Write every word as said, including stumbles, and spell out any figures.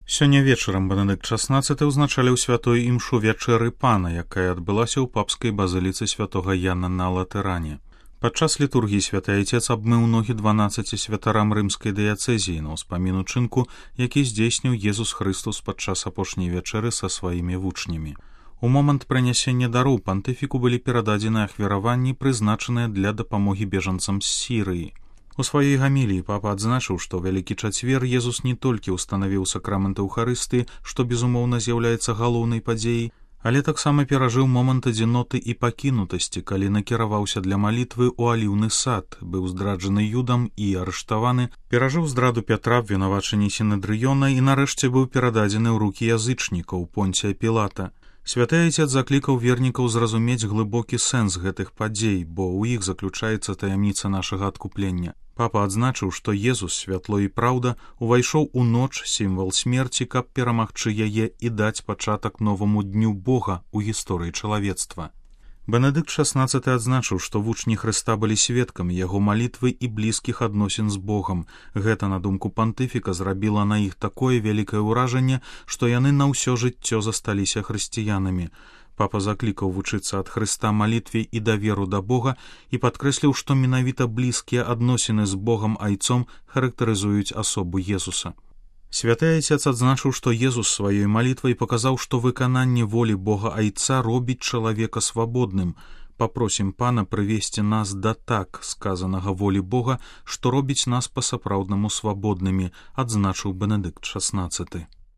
Сёння вечарам Бенедыкт шаснаццаты ўзначаліў святую імшу вячэры пана, якая адбылася ў папскай базыліцы святога Яна на Латэране. Падчас літургіі святы айцец абмыў ногі дванаццаці святарам рымскай дыяцэзіі на ўспамін учынку, які здзейсніў Езус Хрыстус падчас апошняй вячэры са сваімі вучнямі. У момант прынясення дароў пантыфіку былі перададзены ахвяраванні, прызначаныя для дапамогі бежанцам з Сірыі. У сваёй гаміліі папа адзначыў, што Вялікі чацвер Езус не толькі ўстанавіў сакрамент Эўхарыстыі, што, безумоўна, з'яўляецца галоўнай падзеяй, але таксама перажыў момант адзіноты і пакінутасці, калі накіраваўся для малітвы ў аліўны сад, быў здраджаны Юдам і арыштаваны, перажыў здраду Пятра, абвінавачанні Сінедрыёна і нарэшце быў перададзены ў рукі язычнікаў Понція Пілата. Святы айцец заклікаў вернікаў зразумець глыбокі сэнс гэтых падзей, бо ў іх заключаецца таямніца нашага адкуплення. Папа адзначыў, што Езус, святло і праўда, увайшоў у ноч, сімвал смерці, каб перамагчы яе і даць пачатак новаму дню Бога ў гісторыі чалавецтва. Бенедыкт шаснаццаты адзначыў, што вучні Хрыста былі сведкамі яго малітвы і блізкіх адносін з Богам. Гэта, на думку пантыфіка, зрабіла на іх такое вялікае ўражанне, што яны на ўсё жыццё засталіся хрысціянамі. Папа заклікаў вучыцца ад Хрыста малітве і даверу да Бога і падкрэсліў, што менавіта блізкія адносіны з Богам айцом характарызуюць асобу Езуса. Святы айцец адзначыў, што Езус сваёй малітвай паказаў, што выкананне волі Бога айца робіць чалавека свабодным. Папросім пана прывесці нас да так сказанага волі Бога, што робіць нас па-сапраўднаму свабоднымі, адзначыў Бенедыкт шаснаццаты.